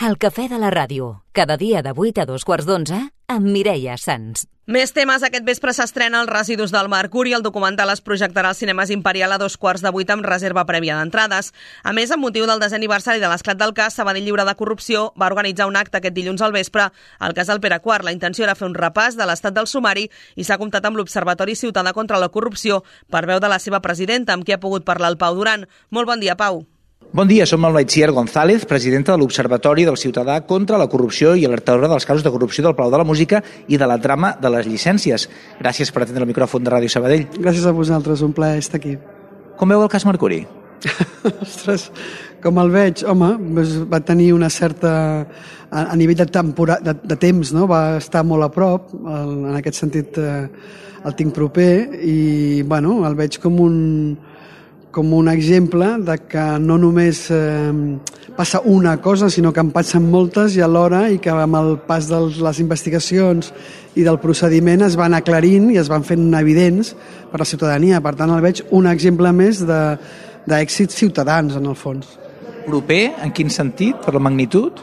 El cafè de la ràdio, cada dia de 8 a 2:15 amb Mireia Sans. Més temes. Aquest vespre s'estrena Els residus del Mercuri. El documental es projectarà als cinemes Imperial a 2:15 amb reserva prèvia d'entrades. A més, amb motiu del 10è aniversari de l'esclat del cas, Sabadell Lliure de Corrupció va organitzar un acte aquest dilluns al vespre al casal Pere IV. La intenció era fer un repàs de l'estat del sumari i s'ha comptat amb l'Observatori Ciutadà contra la Corrupció per veu de la seva presidenta, amb qui ha pogut parlar el Pau Duran. Molt bon dia, Pau. Bon dia, som el Maitziar González, presidenta de l'Observatori del Ciutadà contra la Corrupció i alertadora dels casos de corrupció del Palau de la Música i de la trama de les llicències. Gràcies per atendre el micròfon de Ràdio Sabadell. Gràcies a vosaltres, un plaer estar aquí. Com veu el cas Mercuri? Ostres, com el veig, home, va tenir una certa... A nivell de temps, no? Va estar molt a prop, en aquest sentit el tinc proper, i bueno, el veig com un exemple de que no només passa una cosa, sinó que en passen moltes i alhora, i que amb el pas de les investigacions i del procediment es van aclarint i es van fent evidents per a la ciutadania. Per tant, el veig un exemple més d'èxits ciutadans, en el fons. Proper? En quin sentit? Per la magnitud?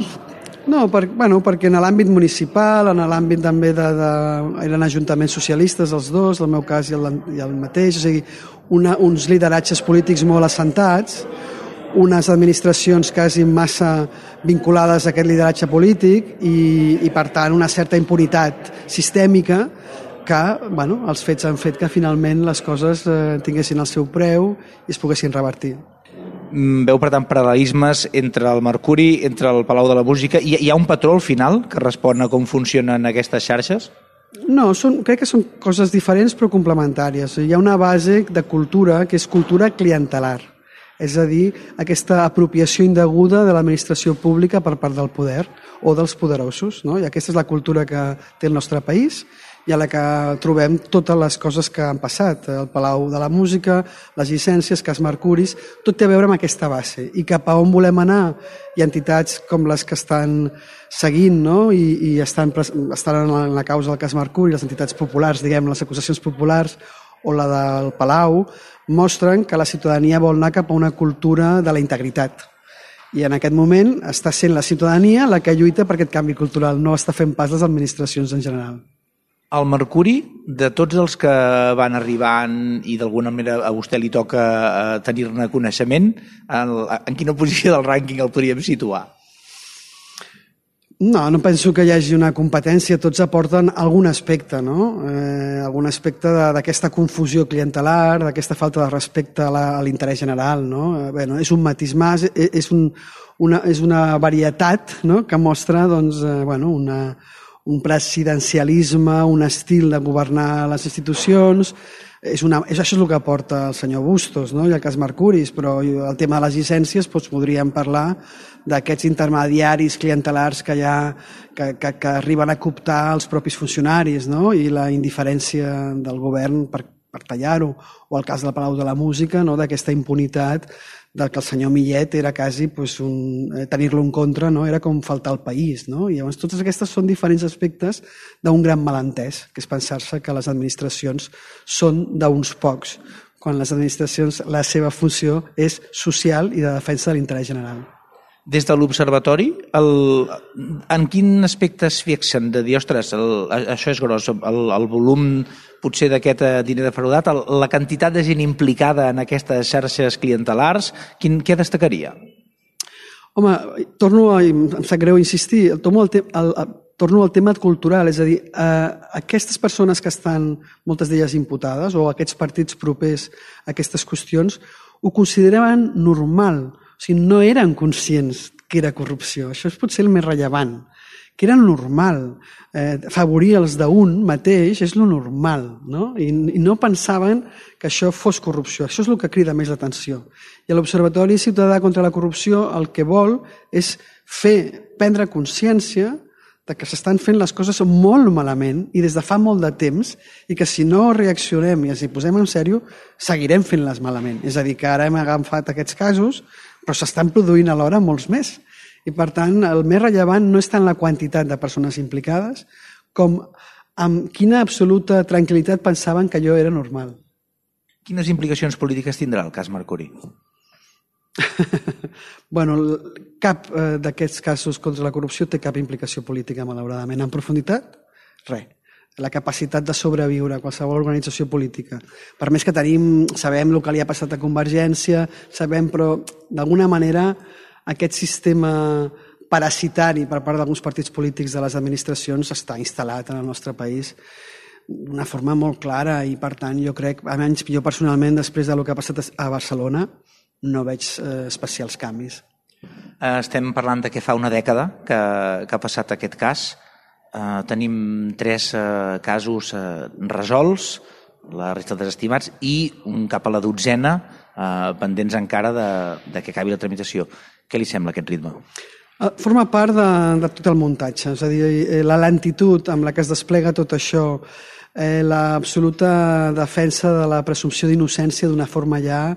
No, perquè en l'àmbit municipal, en l'àmbit també eren ajuntaments socialistes els dos, el meu cas i el mateix, o sigui, uns lideratges polítics molt assentats, unes administracions quasi massa vinculades a aquest lideratge polític i per tant, una certa impunitat sistèmica que, els fets han fet que finalment les coses tinguessin el seu preu i es poguessin revertir. Veu, per tant, paral·lelismes entre el Mercuri, entre el Palau de la Música. Hi ha un patró al final que respon a com funcionen aquestes xarxes? No, crec que són coses diferents però complementàries. Hi ha una base de cultura que és cultura clientelar, és a dir, aquesta apropiació indeguda de l'administració pública per part del poder o dels poderosos, no? I aquesta és la cultura que té el nostre país i a la que trobem totes les coses que han passat, el Palau de la Música, les llicències, cas Mercuris, tot té a veure amb aquesta base. I cap a on volem anar? Hi ha entitats com les que estan seguint, no? I estan en la causa del cas Mercuri, les entitats populars, diguem, les acusacions populars o la del Palau, mostren que la ciutadania vol anar cap a una cultura de la integritat. I en aquest moment està sent la ciutadania la que lluita per aquest canvi cultural, no està fent pas les administracions en general. El Mercuri, de tots els que van arribant i d'alguna manera a vostè li toca tenir-ne coneixement, en quina posició del rànquing el podríem situar? No penso que hi hagi una competència, tots aporten algun aspecte, no? Algun aspecte d'aquesta confusió clientelar, d'aquesta falta de respecte a l'interès general, no? Bé, és un matís més, és una varietat, no? Que mostra, doncs, un presidencialisme, un estil de governar les institucions. Això és el que aporta el senyor Bustos, no? I el cas Mercuris, però el tema de les llicències podríem parlar d'aquests intermediaris clientelars que arriben a cooptar els propis funcionaris, no? I la indiferència del govern per tallar-ho, o el cas del Palau de la Música, no? D'aquesta impunitat del que el senyor Millet era quasi tenir-lo en contra, no? Era com faltar al país, no? I llavors totes aquestes són diferents aspectes d'un gran malentès, que és pensar-se que les administracions són d'uns pocs, quan les administracions, la seva funció és social i de defensa de l'interès general. Des de l'Observatori, en quin aspecte es fixen de dir, ostres, això és gros, el volum potser d'aquest diner defraudat, la quantitat de gent implicada en aquestes xarxes clientelars, què destacaria? Home, em sap greu insistir, torno al tema cultural, és a dir, aquestes persones que estan, moltes d'elles imputades, o aquests partits propers a aquestes qüestions, ho consideraven normal. O sigui, no eren conscients que era corrupció. Això és potser el més rellevant. Que era normal. Favorir els d'un mateix és lo normal, no? I no pensaven que això fos corrupció. Això és el que crida més l'atenció. I l'Observatori Ciutadà contra la Corrupció el que vol és prendre consciència de que s'estan fent les coses molt malament i des de fa molt de temps, i que si no reaccionem i ens hi posem en sèrio, seguirem fent-les malament. És a dir, que ara hem agafat aquests casos, però s'estan produint alhora molts més. I per tant, el més rellevant no és tant la quantitat de persones implicades com amb quina absoluta tranquil·litat pensaven que allò era normal. Quines implicacions polítiques tindrà el cas Mercuri? Bueno, cap d'aquests casos contra la corrupció té cap implicació política, malauradament. En profunditat, res. La capacitat de sobreviure a qualsevol organització política. Per més que sabem el que li ha passat a Convergència, però d'alguna manera aquest sistema parasitari per part d'alguns partits polítics de les administracions està instal·lat en el nostre país d'una forma molt clara i, per tant, jo crec, almenys jo personalment, després del que ha passat a Barcelona, no veig especials canvis. Estem parlant de que fa una dècada que ha passat aquest cas. Tenim 3 casos resolts, la resta desestimats, i un cap a la 12ena pendents encara de que acabi la tramitació. Què li sembla aquest ritme? Forma part de tot el muntatge, és a dir, la lentitud amb la que es desplega tot això, l'absoluta defensa de la presumpció d'innocència d'una forma ja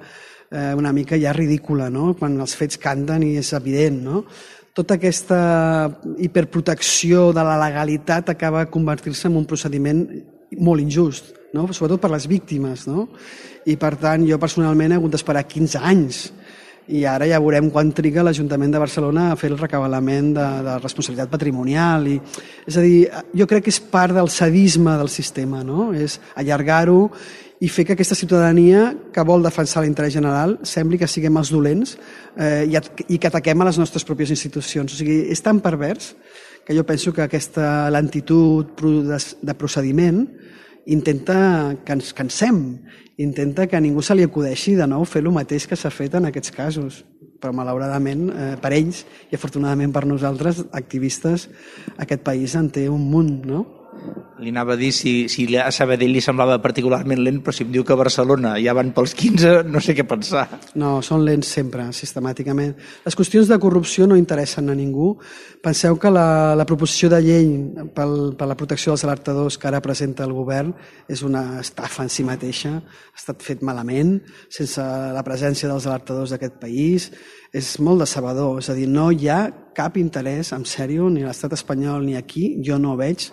una mica ja ridícula, no? Quan els fets canten i és evident, no? Tota aquesta hiperprotecció de la legalitat acaba convertir-se en un procediment molt injust, no? Sobretot per les víctimes, no? I per tant jo personalment he hagut d'esperar 15 anys i ara ja veurem quan triga l'Ajuntament de Barcelona a fer el recabalament de responsabilitat patrimonial. És a dir, jo crec que és part del sadisme del sistema, no? És allargar-ho i fer que aquesta ciutadania que vol defensar l'interès general sembli que siguem els dolents i que ataquem a les nostres pròpies institucions. O sigui, és tan pervers que jo penso que aquesta lentitud de procediment intenta que ens cansem, intenta que a ningú se li acudeixi de nou fer el mateix que s'ha fet en aquests casos. Però malauradament per ells i afortunadament per nosaltres, activistes, aquest país en té un munt, no? Li anava a dir si a Sabadell li semblava particularment lent, però si em diu que a Barcelona ja van pels 15, no sé què pensar. No, són lents sempre, sistemàticament. Les qüestions de corrupció no interessen a ningú. Penseu que la proposició de llei per la protecció dels alertadors que ara presenta el govern és una estafa en si mateixa, ha estat fet malament, sense la presència dels alertadors d'aquest país. És molt decebedor, és a dir, no hi ha cap interès, en sèrio, ni a l'estat espanyol ni aquí, jo no veig.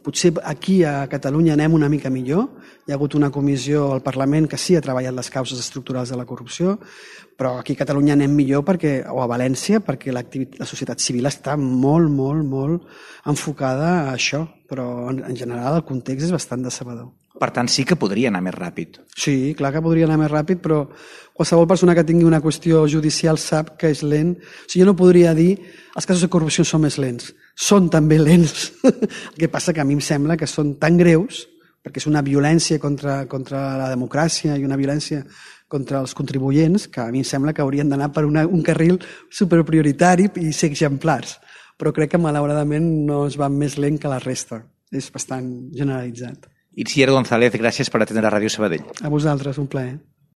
Potser aquí a Catalunya anem una mica millor, hi ha hagut una comissió al Parlament que sí ha treballat les causes estructurals de la corrupció, però aquí a Catalunya anem millor o a València perquè la societat civil està molt, molt, molt enfocada a això, però en general el context és bastant decebedor. Per tant, sí que podria anar més ràpid. Sí, clar que podria anar més ràpid, però qualsevol persona que tingui una qüestió judicial sap que és lent. O sigui, jo no podria dir els casos de corrupció són més lents. Són també lents. El que passa que a mi em sembla que són tan greus, perquè és una violència contra la democràcia i una violència contra els contribuents, que a mi em sembla que haurien d'anar per un carril superprioritari i ser exemplars. Però crec que malauradament no es va més lent que la resta. És bastant generalitzat. Itziar González, gràcies per atendre Ràdio Sabadell. A vosaltres, un plaer.